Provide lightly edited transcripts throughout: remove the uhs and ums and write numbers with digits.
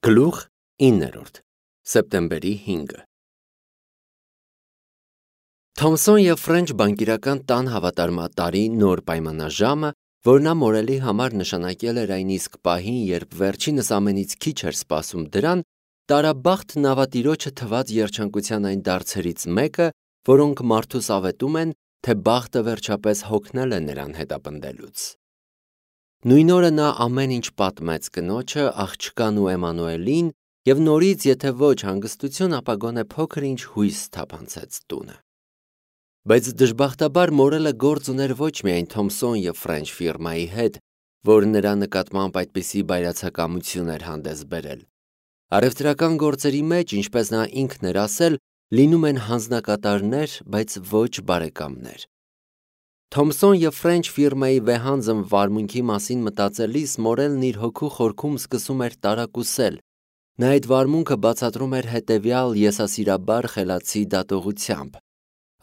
Գլուխ 9 սեպտեմբերի 5 Թոմսոն և Ֆրենչ բանկիրական տան հավատարմատարի նոր պայմանաժամը, որ նա Մորելի համար նշանակել էր այն իսկ պահին, երբ վերջինս ամենից քիչ էր սպասում դրան, տարաբախտ նավատիրոջը թված երջանկության այն դարձերից մեկը, որոնք մարդուս ավետում են, թե բախտը վերջապես հոգնել է նրան հետապնդելուց։ Նույն օրը նա ամեն ինչ պատմեց կնոջը, աղջկան ու Էմանուելին և նորից, եթե ոչ հանգստություն, ապա գոնե փոքր-ինչ հույս թափանցեց տունը։ Բայց դժբախտաբար Մորելը գործ ուներ ոչ միայն Թոմսոն և Ֆրենչ ֆիրմայի հետ, որ նրա նկատմամբ այդպիսի բայրացակամություն էր հանդես բերել։ Առևտրական գործերի մեջ, ինչպես նա ինքն էր ասել, լինում են հանձնակատարներ, բայց ոչ բարեկամներ։ Թոմսոն և Ֆրենչ ֆիրմայի վեհանձն վարմունքի մասին մտածելիս Մորելն իր հոգու խորքում սկսում էր տարակուսել։ Նա այդ վարմունքը բացատրում էր հետևյալ եսասիրաբար խելացի դատողությամբ.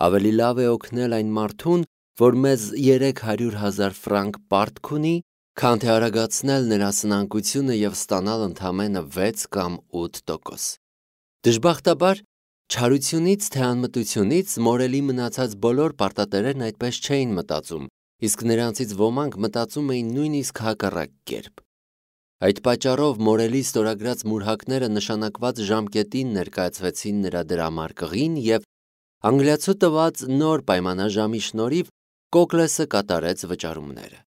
ավելի լավ է օգնել այն մարդուն, որ մեզ 300,000 ֆրանկ պարտք ունի, քան թե արագացնել նրա սնանկությունը և ստանալ ընդամենը 6 կամ 8%։ Դժբախտաբար, չարությունից թե անմտությունից Մորելի մնացած բոլոր պարտատերերն այդպես չէին մտածում, իսկ նրանցից ոմանք մտածում էին նույնիսկ հակառակ կերպ։ Այդ պատճառով Մորելի ստորագրած մուրհակները նշանակված ժամկետին ներկայացվեցին նրա դրամարկղին և անգլիացու տված նոր պայմանաժամի շնորհիվ Կոկլեսը կատարեց վճարումները։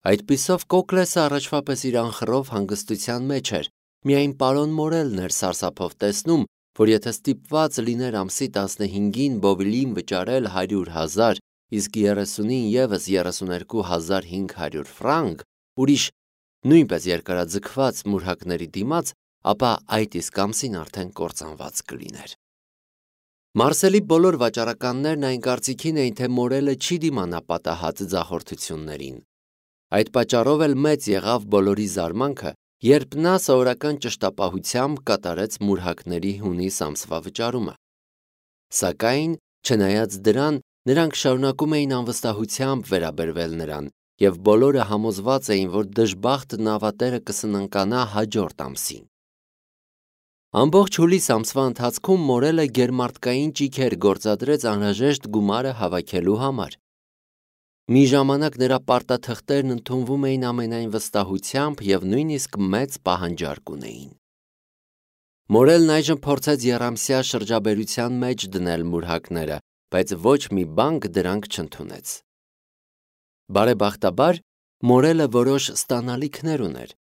Այդպիսով Կոկլեսը առաջվա պես իր անխռով հանգստության մեջ էր, միայն պարոն Մորելն էր սարսափով տեսնում, որ եթե ստիպված լիներ ամսի 15-ին Բովիլին վճարել 100,000, իսկ 30-ին ևս 32,500 ֆրանկ, ուրիշ նույնպես երկարաձգված մուրհակների դիմաց, ապա այդ իսկ ամսին արդեն կործանված կլիներ։ Մարսելի բոլոր վաճառականներն այն կարծիքին էին, թե Մորելը չի դիմանա պատահած ձախորդություններին։ Այդ պատճառով էլ մեծ եղավ բոլորի զարմանքը, երբ նա սովորական ճշտապահությամբ կատարեց մուրհակների հունիս ամսվա վճարումը։ Սակայն, չնայած դրան, նրանք շարունակում էին անվստահությամբ վերաբերվել նրան, և բոլորը համոզված էին, որ դժբախտ նավատերը կսննկանա հաջորդ ամսին։ Ամբողջ հուլիս ամսվա ընթացքում Մորելը գերմարտկային ճիգեր գործադրեց անհրաժեշտ գումարը հավաքելու համար։ Մի ժամանակ նրա պարտաթղթերն ընդունվում էին ամենայն վստահությամբ և նույնիսկ մեծ պահանջարկ ունեին։ Մորելն այժմ փորձեց եռամսյա շրջաբերության մեջ դնել մուրհակները, բայց ոչ մի բանկ դրանք չընդունեց։ Բարեբախտաբար, Մորելը որոշ ստանալիքներ ուներ։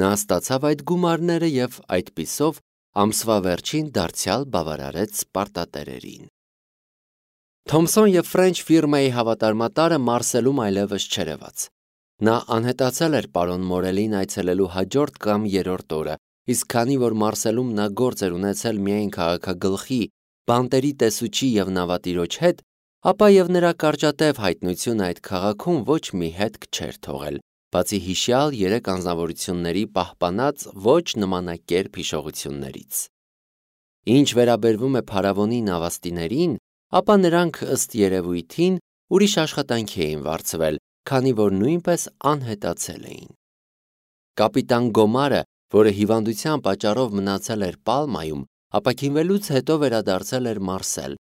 Նա ստացավ այդ գումարները և այդպիսով ամսվա վերջին դարձյալ բավարարեց պարտատերերին։ Թոմսոն և Ֆրենչ ֆիրմայի հավատարմատարը Մարսելում այլևս չերևաց։ Նա անհետացել էր պարոն Մորելին այցելելու հաջորդ կամ երրորդ օրը, իսկ քանի որ Մարսելում նա գործ էր ունեցել միայն քաղաքագլխի, բանտերի տեսուչի և նավատիրոջ հետ, ապա և նրա կարճատև հայտնությունը այդ քաղաքում ոչ մի հետք չէր թողել, բացի հիշյալ 3 անձնավորությունների պահպանած ոչ նմանակերպ հիշողություններից։ Ինչ վերաբերվում է փարավոնի նավաստիներին, ապա նրանք ըստ երևույթին ուրիշ աշխատանքի էին վարձվել, քանի որ նույնպես անհետացել էին։ Կապիտան Գոմարը, որը հիվանդության պատճառով մնացել էր Պալմայում, ապաքինվելուց հետո վերադարձել էր Մարսել։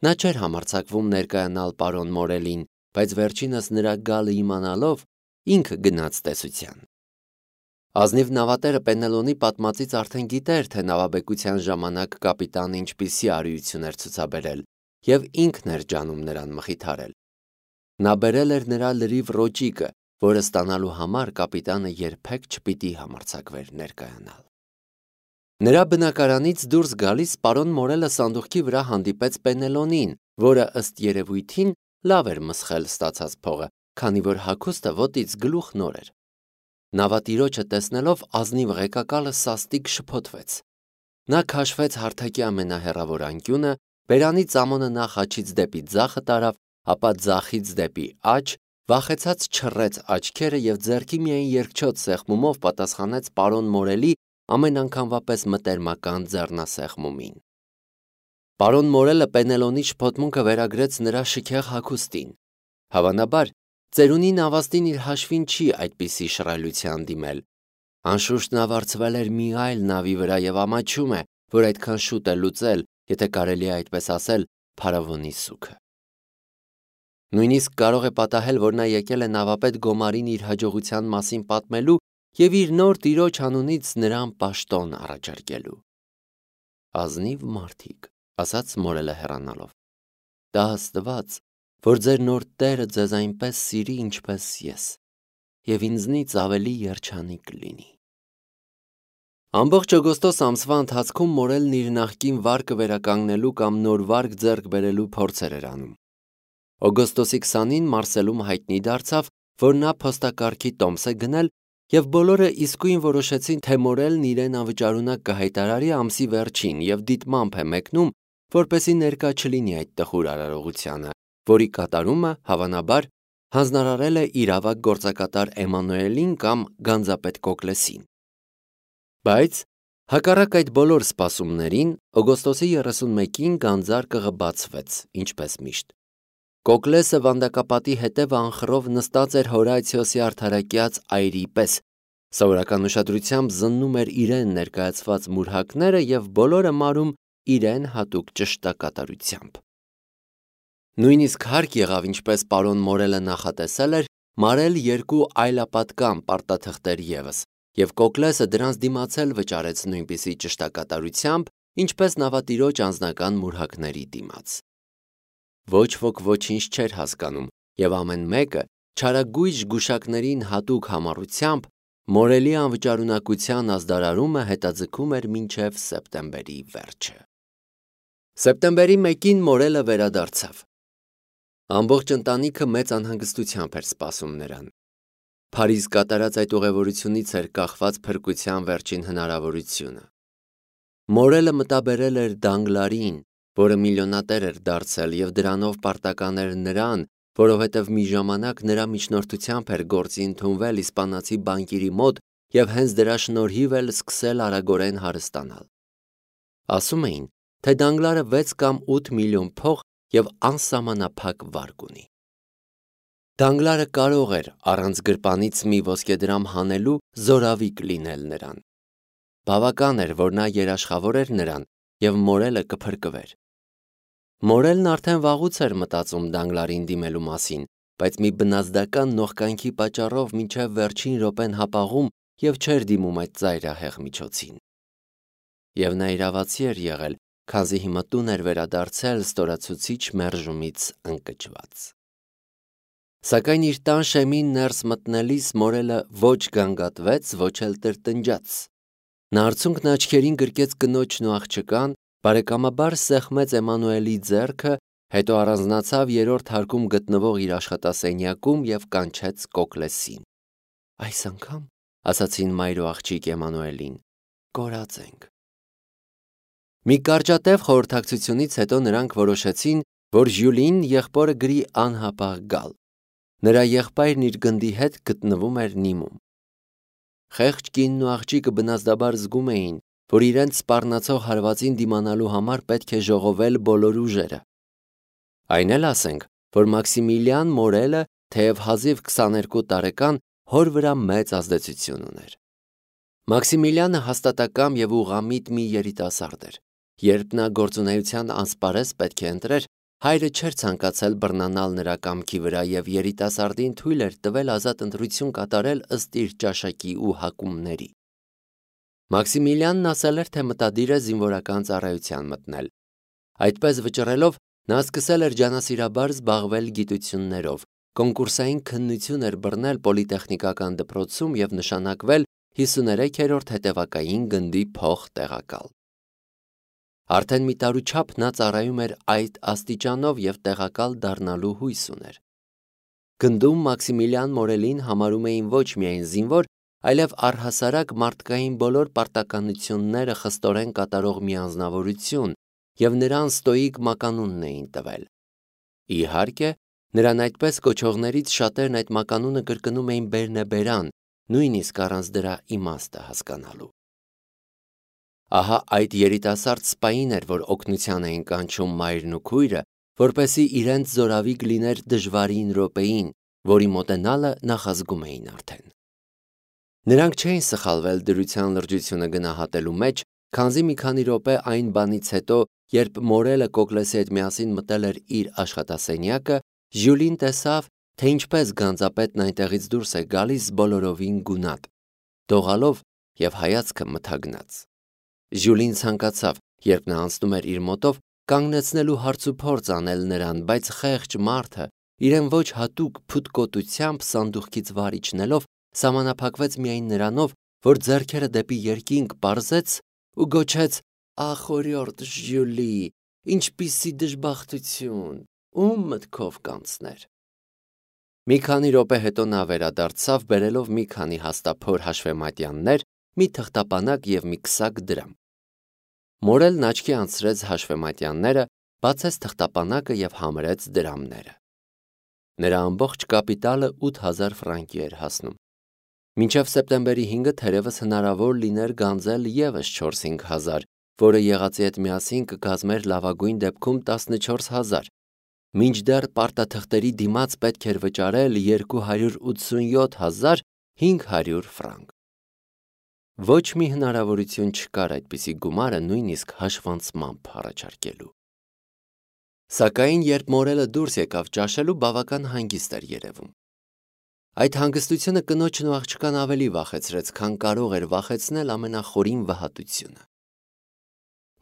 Նա չէր համարձակվում ներկայանալ պարոն Մորելին, բայց վերջինս նրա գալը իմանալով ինքը գնաց տեսության։ Ազնիվ նավատերը Պենելոնի պատմածից արդեն գիտեր, թե նավաբեկության ժամանակ կապիտանը ինչպիսի արիություն էր ցուցաբերել, և ինքն էր ջանում նրան մխիթարել։ Նա բերել էր նրա լրիվ ռոճիկը, որը ստանալու համար կապիտանը երբեք չպիտի համարձակվեր ներկայանալ։ Նրա բնակարանից դուրս գալիս պարոն Մորելը սանդուղքի վրա հանդիպեց Պենելոնին, որը ըստ երևույթին լավ էր մսխել ստացած փողը, քանի որ հագուստը ոտից գլուխ նոր էր։ Նավատիրոջը տեսնելով ազնիվ ղեկակալը սաստիկ շփոթվեց։ Նա քաշվեց հարթակի ամենահեռավոր անկյունը, բերանի ծամոնը նախ աջից դեպի ձախը տարավ, ապա ձախից դեպի աջ, վախեցած չռեց աչքերը և ձեռքի միայն երկչոտ սեղմումով պատասխանեց պարոն Մորելի ամեն անգամվա պես մտերմական ձեռնասեղմումին։ Պարոն Մորելը Պենելոնի շփոթմունքը վերագրեց նրա շքեղ հագուստին։ Հավանաբար, ծերունի նավաստին իր հաշվին չի այդպիսի շռայլության դիմել։ Անշուշտ նա վարձվել էր մի այլ նավի վրա եւ ամաչում է, որ այդքան շուտ է լուծել, եթե կարելի է այդպես ասել, փարավոնի սուքը։ Նույնիսկ կարող է պատահել, որ նա եկել է նավապետ Գոմարին իր հաջողության մասին պատմելու եւ իր նոր տիրոջ անունից նրան պաշտոն առաջարկելու։ Ազնիվ մարդիկ, ասաց Մորելը հեռանալով։ Դա Աստված, որ ձեր նոր տերը ձեզ այնպես սիրի, ինչպես ես, եւ ինձնից ավելի երջանիկ լինի։ Ամբողջ օգոստոս ամսվա ընթացքում Մորելն իր նախկին վարկը վերականգնելու կամ նոր վարկ ձեռք բերելու փորձեր էր անում։ Օգոստոսի 20-ին Մարսելում հայտնի դարձավ, որ նա փոստակարգի տոմս է գնել, եւ բոլորը իսկույն որոշեցին, թե Մորելն իրեն անվճարունակ կհայտարարի ամսի վերջին եւ դիտմամբ է մեկնում, որպեսզի ներկա չլինի այդ տխուր արարողությանը, որի կատարումը, հավանաբար, հանձնարարել է իր ավագ գործակատար Էմանուելին կամ գանձապետ Կոկլեսին։ Բայց, հակառակ այդ բոլոր սպասումներին, օգոստոսի 31-ին գանձարկղը բացվեց, ինչպես միշտ։ Կոկլեսը վանդակապատի հետևը անխռով նստած էր Հորացիոսի արդարակյաց այրի պես, սովորական ուշադրությամբ զննում էր իրեն ներկայացված մուրհակները եւ բոլորը մարում իրեն հատուկ ճշտակատարությամբ։ Նույնիսկ հարկ եղավ, ինչպես պարոն Մորելը նախատեսել էր, մարել 2 այլապատկան պարտաթղթեր ևս, եւ Կոկլեսը դրանց դիմացել վճարեց նույնպիսի ճշտակատարությամբ, ինչպես նավատիրոջ անձնական մուրհակների դիմաց։ Ոչ ոք ոչինչ չէր հասկանում, եւ ամեն մեկը չարագույժ գուշակներին հատուկ համառությամբ Մորելի անվճարունակության ազդարարումը հետաձգում էր մինչև սեպտեմբերի վերջը։ Սեպտեմբերի 1-ին Մորելը վերադարձավ։ Ամբողջ ընտանիքը մեծ անհանգստությամբ էր սպասում նրան։ Փարիզ կատարած այդ ուղևորությունից էր կախված փրկության վերջին հնարավորությունը։ Մորելը մտաբերել էր Դանգլարին, որը միլիոնատեր էր դարձել եւ դրանով պարտական էր նրան, որովհետև մի ժամանակ նրա միջնորդությամբ էր գործի ընդունվել իսպանացի բանկիրի մոտ եւ հենց դրա շնորհիվ էլ սկսել արագորեն հարստանալ։ Ասում էին, թե Դանգլարը 6 կամ 8 միլիոն փող եւ անսահմանափակ վարկ ունի։ Դանգլարը կարող էր առանց գրպանից մի ոսկեդրամ հանելու զորավիկ լինել նրան։ Բավական էր, որ նա երաշխավոր էր նրան եւ Մորելը կփրկվեր։ Մորելն արդեն վաղուց էր մտածում Դանգլարին դիմելու մասին, բայց մի բնազդական նողկանքի պատճառով մինչև վերջին րոպեն հապաղում եւ չէր դիմում այդ ծայրահեղ միջոցին։ Եվ նա իրավացի էր եղել, քանզի հիմա տուն էր վերադարձել ստորացուցիչ մերժումից ընկճված։ Սակայն իր տան շեմին ներս մտնելիս Մորելը ոչ գանգատվեց, ոչ էլ տրտնջաց։ Նա արցունքն աչքերին գրկեց կնոջն ու աղջկան, բարեկամաբար սեղմեց Էմանուելի ձեռքը, հետո առանձնացավ 3-րդ հարկում գտնվող իր աշխատասենյակում եւ կանչեց Կոկլեսին։ Այս անգամ, ասացին մայր ու աղջիկ Էմանուելին, կորած ենք։ Մի կարճատև խորհրդակցությունից հետո նրանք որոշեցին, որ Ժյուլին եղբորը գրի անհապաղ գալ։ Նրա եղբայրն իր գնդի հետ գտնվում էր Նիմում։ Խեղճ կինն ու աղջիկը բնազդաբար զգում էին, որ իրենց սպառնացող հարվածին դիմանալու համար պետք է ժողովել բոլոր ուժերը։ Այն էլ ասենք, որ Մաքսիմիլիան Մորելը, թեև հազիվ 22 տարեկան, հոր վրա մեծ ազդեցություն ուներ։ Մաքսիմիլիանը հաստատակամ եւ ուղղամիտ մի երիտասարդ էր։ Երբ նա գործունեության անսպարեզ պետք է ընտրեր, հայրը չէր ցանկացել բռնանալ նրա կամքի վրա եւ երիտասարդին թույլ էր տվել ազատ ընտրություն կատարել ըստ իր ճաշակի ու հակումների։ Մաքսիմիլիանն ասել էր, թե մտադիր է զինվորական ծառայության մտնել։ Այդպես վճռելով, նա սկսել էր ջանասիրաբար զբաղվել գիտություններով, կոնկուրսային քննություն էր բռնել պոլիտեխնիկական դպրոցում եւ նշանակվել 53-րդ հետևակային գնդի փոխտեղակալ։ Արդեն մի տարու չափ նա ծառայում էր այդ աստիճանով եւ տեղակալ դառնալու հույս ուներ։ Գնդում Մաքսիմիլիան Մորելին համարում էին ոչ միայն զինվոր, այլև առհասարակ մարդկային բոլոր պարտականությունները խստորեն կատարող մի անձնավորություն եւ նրան ստոիկ մականունն էին տվել։ Իհարկե, նրան այդպես կոչողներից շատերն այդ մականունը կրկնում էին բերնեբերան, նույնիսկ առանց դրա իմաստը հասկանալու։ Ահա այդ երիտասարդ սպային էր, որ օգնության էին կանչում մայրն ու քույրը, որպեսզի իրենց զորավիկ լիներ դժվարին րոպեին, որի մոտենալը նախազգում էին արդեն։ Նրանք չէին սխալվել դրության լրջությունը գնահատելու մեջ, քանզի մի քանի րոպե այն բանից հետո, երբ Մորելը Կոկլեսի հետ միասին մտել էր իր աշխատասենյակը, Ժյուլին տեսավ, թե ինչպես գանձապետն այնտեղից դուրս է գալիս բոլորովին գունատ, դողալով և հայացքը մթագնած։ Ժյուլին ցանկացավ, երբ նա անցնում էր իր մոտով, կանգնեցնելու հարցուփորձ անել նրան, բայց խեղճ մարդը, իրեն ոչ հատուկ փութկոտությամբ սանդուղքից վար իջնելով, սահմանափակվեց միայն նրանով, որ ձեռքերը դեպի երկինք պարզեց ու գոչեց. «Ախ, օրիորդ Ժյուլի, ինչպիսի դժբախտություն, ում մտքով կանցներ»։ Մի քանի րոպե հետո նա վերադարձավ, բերելով մի քանի հաստափոր հաշվեմատյաններ, մի թղթապանակ և մի քսակ դրամ։ Մորելն աչքի անցրեց հաշվեմատյանները, բացեց թղթապանակը և համարեց դրամները։ Նրա ամբողջ կապիտալը 8000 ֆրանկի էր հասնում։ Մինչև սեպտեմբերի 5-ը թերևս հնարավոր լիներ գանձել ևս 4-5 հազար, որը եղածի հետ միասին կկազմեր լավագույն դեպքում 14000։ Մինչդեռ պարտաթղթերի դիմաց պետք էր վճարել 287500 ֆրանկ։ Ոչ մի հնարավորություն չկար այդպիսի գումարը նույնիսկ հաշվանցմամբ առաջարկելու։ Սակայն երբ Մորելը դուրս եկավ ճաշելու, բավական հանգիստ էր երևում։ Այդ հանգստությունը կնոջն ու աղջկան ավելի վախեցրեց, քան կարող էր վախեցնել ամենախորին վհատությունը։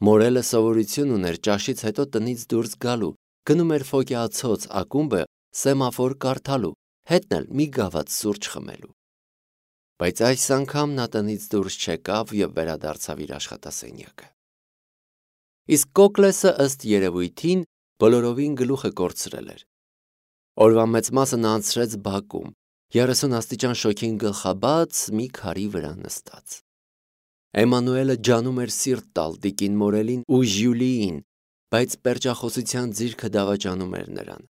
Մորելը սովորություն ուներ ճաշից հետո տնից դուրս գալու, գնում էր ֆոկեացոց ակումբը սեմաֆոր կարդալու, հետն էլ մի գավաթ սուրճ խմելու։ Բայց այս անգամ նա տնից դուրս չեկավ և վերադարձավ իր աշխատասենյակը։ Իսկ Կոկլեսը ըստ երևույթին բոլորովին գլուխը կորցրել էր։ Օրվա մեծ մասը նա անցրեց բակում, 30 աստիճան շոգին գլխաբաց մի քարի վրա նստած։ Էմանուելը ջանում էր սիրտ տալ տիկին Մորելին ու Ժյուլիին, բայց պերճախոսության ձիրքը դավաճանում էր նրան։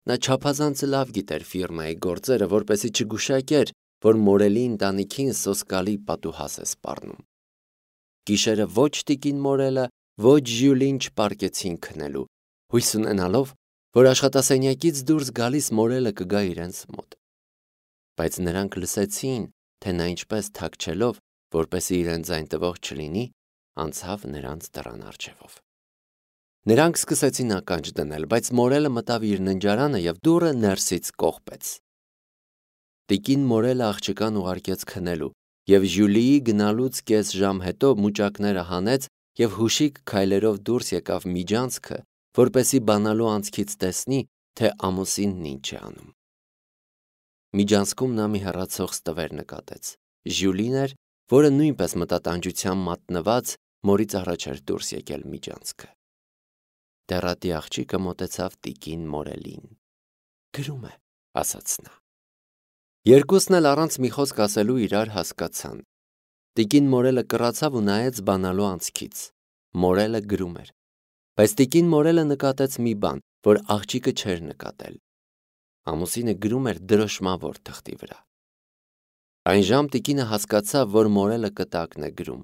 Նա չափազանց լավ գիտեր ֆիրմայի գործերը, որպեսզի չգուշակեր, որ Մորելի ընտանիքին սոսկալի պատուհաս է սպառնում։ Գիշերը ոչ տիկին Մորելը, ոչ Ժյուլին չպարկեցին քնելու, հույս ունենալով, որ աշխատասենյակից դուրս գալիս Մորելը կգա իրենց մոտ։ Բայց նրանք լսեցին, թե նա ինչպես թաքչելով, որպեսզի իրեն ձայն տվող չլինի, անցավ նրանց դռան առջևով։ Նրանք սկսեցին ականջ դնել, բայց Մորելը մտավ իր ննջարանը և դուռը ներսից կողպեց։ Տիկին Մորելը աղջկան ուղարկեց քնելու, և Ժյուլիի գնալուց կես ժամ հետո մուճակները հանեց և հուշիկ քայլերով դուրս եկավ միջանցքը, որպեսզի բանալու անցքից տեսնի, թե ամուսինն ինչ է անում։ Միջանցքում նա մի հեռացող ստվեր նկատեց։ Ժյուլին էր, որը նույնպես մտատանջությամբ մատնված մորից առաջ էր դուրս եկել միջանցքը։ Դեռատի աղջիկը մոտեցավ տիկին Մորելին։ «Գրում է», ասաց նա։ Երկուսն էլ առանց մի խոսք ասելու իրար հասկացան։ Տիկին Մորելը կռացավ ու նայեց բանալու անցքից։ Մորելը գրում էր։ Բայց տիկին Մորելը նկատեց մի բան, որ աղջիկը չէր նկատել։ Ամուսինը գրում էր դրոշմավոր թղթի վրա։ Այն ժամ տիկինը հասկացավ, որ Մորելը կտակն է գրում։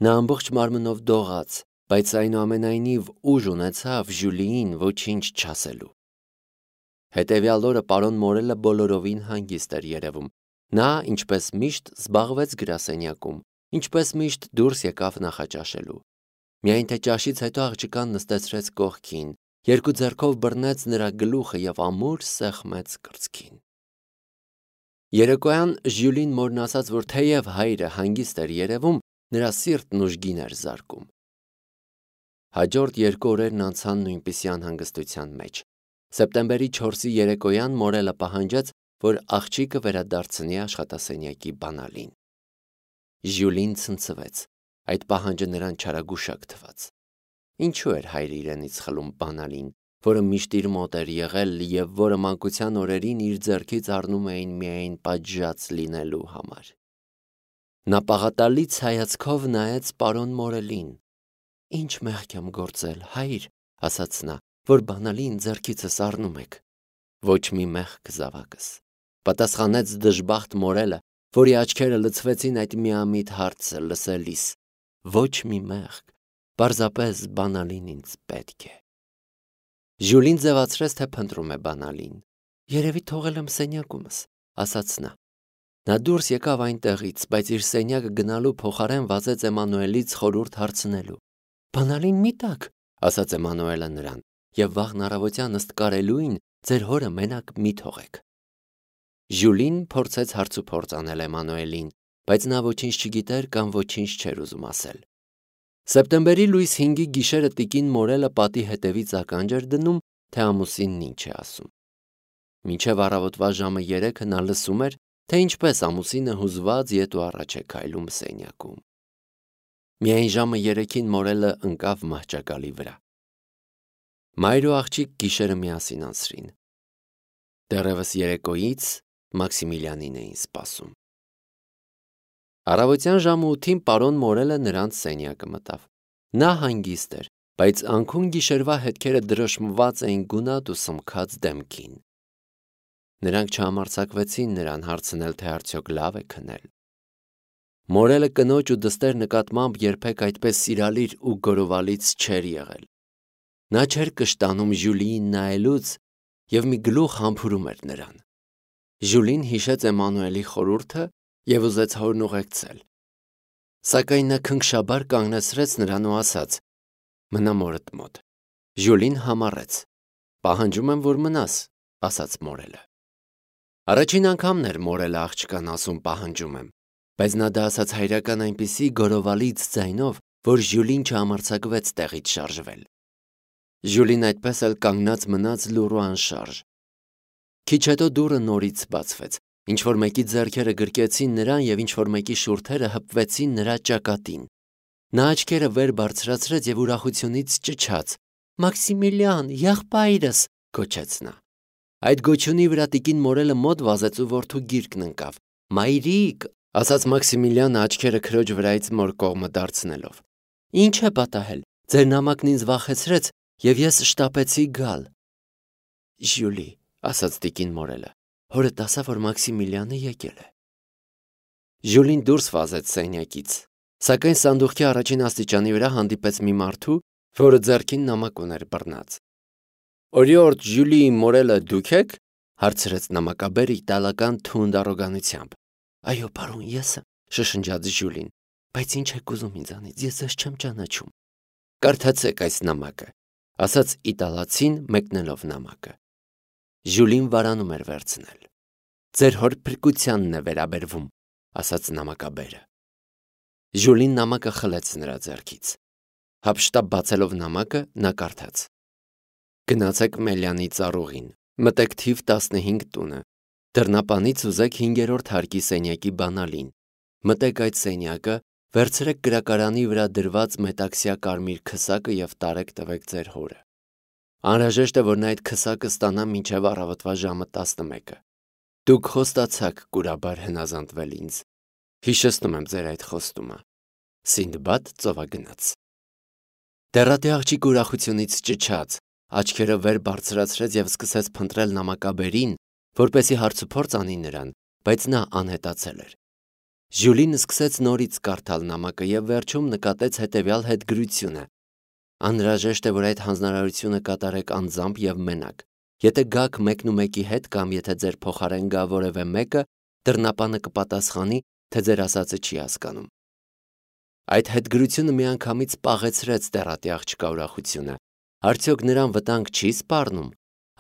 Նա ամբողջ մարմնով դողաց, բայց այնուամենայնիվ ուժ ունեցավ Ժյուլիին ոչինչ չասելու։ Հետևյալ օրը պարոն Մորելը բոլորովին հանգիստ էր երևում։ Նա, ինչպես միշտ, զբաղվեց գրասենյակում, ինչպես միշտ դուրս եկավ նախաճաշելու։ Միայն թե ճաշից հետո աղջկան նստեցրեց կողքին, երկու ձեռքով բռնեց նրա գլուխը և ամուր սեղմեց կրծքին։ Երեկոյան Ժյուլին մորն ասաց, որ թեև հայրը հանգիստ էր երևում, նրա սիրտն ուժգին էր զարկում։ Հաջորդ 2 օրերն անցան նույնպիսի անհանգստության մեջ։ Սեպտեմբերի 4-ի երեկոյան Մորելը պահանջեց, որ աղջիկը վերադարձնի աշխատասենյակի բանալին։ Ժյուլին ցնցվեց։ Այդ պահանջը նրան չարագուշակ թվաց։ Ինչու էր հայրը իրենից խլում բանալին, որը միշտ իր մոտ էր եղել և որը մանկության օրերին իր ձեռքից առնում էին միայն պատժած լինելու համար։ Նա պաղատալից հայացքով նայեց պարոն Մորելին։ «Ինչ մեղք եմ գործել, հայր», ասաց նա, «որ բանալին ձեռքիցս առնում եք»։ «Ոչ մի մեղք, զավակս», պատասխանեց դժբախտ Մորելը, որի աչքերը լցվեցին այդ միամիտ հարցը լսելիս։ «Ոչ մի մեղք, պարզապես բանալին ինձ պետք է»։ Ժյուլին ձևացրեց, թե փնտրում է բանալին։ «Երևի թողել եմ սենյակումս», ասաց նա։ Նա դուրս եկավ այնտեղից, բայց իր սենյակը գնալու փոխարեն վազեց Էմանուելից խորհուրդ հարցնելու։ «Բանալին մի տաք», ասաց Էմանուելը նրան, «եւ վաղն առավոտյան ըստ կարելույն ձեր հորը մենակ մի թողեք»։ Ժյուլին փորձեց հարցուփորձ անել Էմանուելին, բայց նա ոչինչ չգիտեր կամ ոչինչ չէր ուզում ասել։ Սեպտեմբերի լույս 5-ի գիշերը տիկին Մորելը պատի հետևից ականջ էր դնում, թե ամուսինն ինչ է ասում։ Մինչև առավոտվա ժամը 3-ը նա լսում էր, թե ինչպես ամուսինը հուզված ետ ու առաջ է քայլում սենյակում։ Միայն ժամը 3-ին Մորելը ընկավ մահճակալի վրա։ Մայր ու աղջիկ գիշերը միասին անցրին։ Դեռևս երեկոյից Մաքսիմիլիանին էին սպասում։ Առավոտյան ժամը 8-ին պարոն Մորելը նրանց սենյակը մտավ։ Նա հանգիստ էր, բայց անքուն գիշերվա հետքերը դրոշմված էին գունատ ու սմքած դեմքին։ Նրանք չհամարձակվեցին նրան հարցնել, թե արդյոք լավ է քնել։ Մորելը կնոջ ու դստեր նկատմամբ երբեք այդպես սիրալիր ու գորովալից չէր եղել։ Նա չէր կշտանում Ժյուլիին նայելուց և մի գլուխ համբուրում էր նրան։ Ժյուլին հիշեց Էմանուելի խորհուրդը և ուզեց հորն ուղեկցել։ Սակայն նա քնքշաբար կանգնեցրեց նրան ու ասաց. «Մնա մորդ մոտ»։ Ժյուլին համառեց։ «Պահանջում եմ, որ մնաս», ասաց Մորելը։ Առաջին անգամն էր Մորելը աղջկան ասում պահանջում եմ, բայց նա դա ասաց հայրական այնպիսի գորովալից ձայնով, որ Ժյուլին չհամարձակվեց տեղից շարժվել։ Ժյուլին այդպես էլ կանգնած մնաց լուռ ու անշարժ։ Քիչ հետո դուռը նորից բացվեց, ինչ-որ մեկի ձեռքերը գրկեցին նրան և ինչ-որ մեկի շուրթերը հպվեցին նրա ճակատին։ Նա աչքերը վեր բարձրացրեց և ուրախությունից ճչաց. «Մաքսիմիլիան, եղբայրս», գոչեց նա։ Այդ գոչյունի վրա տիկին Մորելը մոտ վազեց ու որդու գիրկն ընկավ։ «Մայրիկ», ասաց Մաքսիմիլիանը աչքերը քրոջ վրայից մոր կողմը դարձնելով։ «Ինչ է պատահել, ձեր նամակն ինձ վախեցրեց և ես շտապեցի գալ»։ «Ժյուլի», ասաց տիկին Մորելը, «հորդ ասա, որ Մաքսիմիլիանը եկել է»։ Ժյուլին դուրս վազեց սենյակից, սակայն սանդուղքի առաջին աստիճանի վրա հանդիպեց մի մարդու, որը ձեռքին նամակ ուներ բռնած։ «Օրիորդ Ժյուլիի Մորելը դուք եք», հարցրեց նամակաբերը իտալական թունդ առոգանությամբ։ «Այո, պարոն, ես եմ», շշնջաց Ժյուլին, «բայց ինչ եք ուզում ինձանից, ես ձեզ չեմ ճանաչում»։ «Կարդացեք այս նամակը», ասաց իտալացին մեկնելով նամակը։ Ժյուլին վարանում էր վերցնել։ «Ձեր հոր փրկությանն է վերաբերվում», ասաց նամակաբերը։ Ժյուլին նամակը խլեց նրա ձեռքից։ Հափշտապ բացելով նամակը, նա կարդաց. «Գնացեք Մելյանի ծառուղին, մտեք թիվ 15 տունը, դռնապանից ուզեք 5-րդ հարկի սենյակի բանալին, մտեք այդ սենյակը, վերցրեք գրակարանի վրա դրված մետաքսյա կարմիր քսակը և տարեք տվեք ձեր հորը։ Անհրաժեշտ է, որ նա այդ քսակը ստանա մինչև առավոտվա ժամը 11-ը։ Դուք խոստացաք կուրաբար հնազանդվել ինձ։ Հիշեցնում եմ ձեր այդ խոստումը։ Սինդբադ ծովագնաց»։ Դեռատի աղջիկը ուրախությունից ճչաց, աչքերը վեր բարձրացրեց և սկսեց փնտրել նամակաբերին, որպեսզի հարցուփորձ անի նրան, բայց նա անհետացել էր։ Ժյուլին սկսեց նորից կարդալ նամակը և վերջում նկատեց հետևյալ հետգրությունը. «Անհրաժեշտ է, որ այդ հանձնարարությունը կատարեք անձամբ և մենակ։ Եթե գաք մեկնումեկի հետ կամ եթե ձեր փոխարեն գա որևէ մեկը, դռնապանը կպատասխանի, թե ձեր ասածը չի հասկանում»։ Այդ հետգրությունը միանգամից պաղեցրեց դեռատի աղջկա ուրախությունը։ Արդյոք նրան վտանգ չի սպառնում։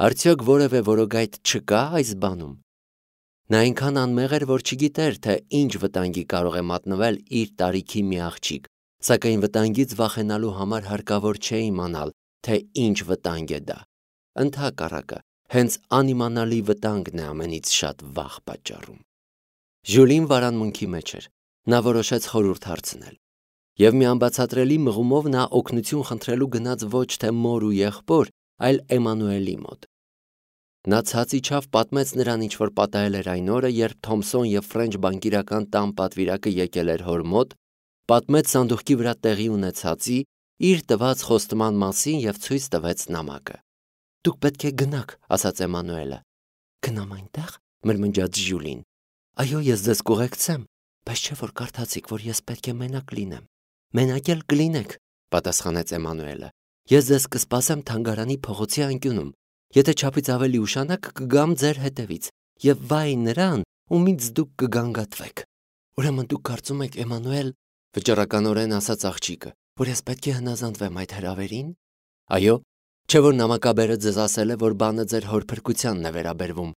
Արդյոք որևէ որոգայթ չկա այս բանում։ Նա այնքան անմեղ էր, որ չգիտեր, թե ինչ վտանգի կարող է մատնվել իր տարիքի մի աղջիկ, սակայն վտանգից վախենալու համար հարկավոր չէ իմանալ, թե ինչ վտանգ է դա։ Ընդհակառակը, հենց անիմանալի վտանգն է ամենից շատ վախ պատճառում։ Ժյուլին վարանմունքի մեջ էր։ Նա որոշեց խորհուրդ հարցնել։ Եվ մի անբացատրելի մղումով նա օգնություն խնդրելու գնաց ոչ թե մոր ու եղբոր, այլ Էմանուելի մոտ։ Նա ցած իջավ, պատմեց նրան, ինչ որ պատահել էր այն օրը, երբ Թոմսոն և Ֆրենչ բանկիրական տան պատվիրակը եկել էր հոր մոտ, պատմեց սանդուղքի վրա տեղի ունեցածի, իր տված խոստման մասին և ցույց տվեց նամակը։ «Դուք պետք է գնաք», ասաց Էմանուելը։ «Գնամ այնտեղ», մրմնջաց Ժյուլին։ «Այո, ես ձեզ կուղեկցեմ, բայց չէ որ կարդացիք, որ ես պետք է մենակ լինեմ»։ «Մենակ էլ կլինեք», պատասխանեց Էմանուելը։ «Ես ձեզ կսպասեմ թանգարանի փողոցի անկյունում։ Եթե չափից ավելի ուշանաք, կգամ ձեր հետևից, և վայ նրան, ումից դուք կգանգատվեք։ Ուրեմն դուք կարծում եք, Էմանուել, վճռականորեն ասաց աղջիկը, որ ես պետք է հնազանդվեմ այդ հրավերին։ Այո, չէ որ նամակաբերը ձեզ ասել է, որ բանը ձեր հոր փրկությանն է վերաբերվում։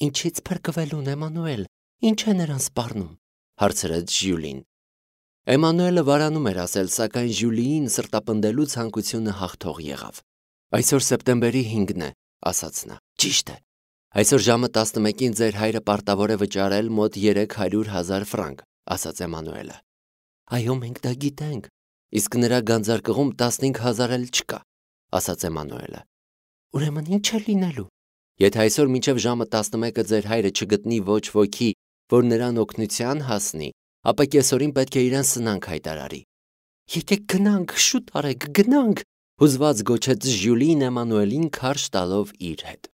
Ինչից փրկվելուն, Էմանուել, ինչ է նրան սպառնում, հարցրեց Ժյուլին։ Էմանուելը վարանում էր ասել, սակայն Ժյուլիին սրտապնդելու ցանկությունը հաղթող եղավ։ Այսօր սեպտեմբերի 5-ն է, ասաց նա։ Ճիշտ է։ Այսօր ժամը 11-ին ձեր հայրը պարտավոր է վճարել մոտ 300,000 ֆրանկ, ասաց Էմանուելը։ Այո, մենք դա գիտենք, իսկ նրա գանձարկղում 15,000 էլ չկա, ասաց Էմանուելը։ Ուրեմն ինչ է լինելու։ Եթե այսօր մինչև ժամը 11-ը ձեր հայրը չգտնի ոչ ոքի, որ նրան օգնության հասնի, ապա կեսօրին պետք է իրեն սնանք հայտարարի։ Եկեք գնանք, շուտ արեք, գնանք, հուզված գոչեց Ժյուլին Էմանուելին քարշ տալով իր հետ։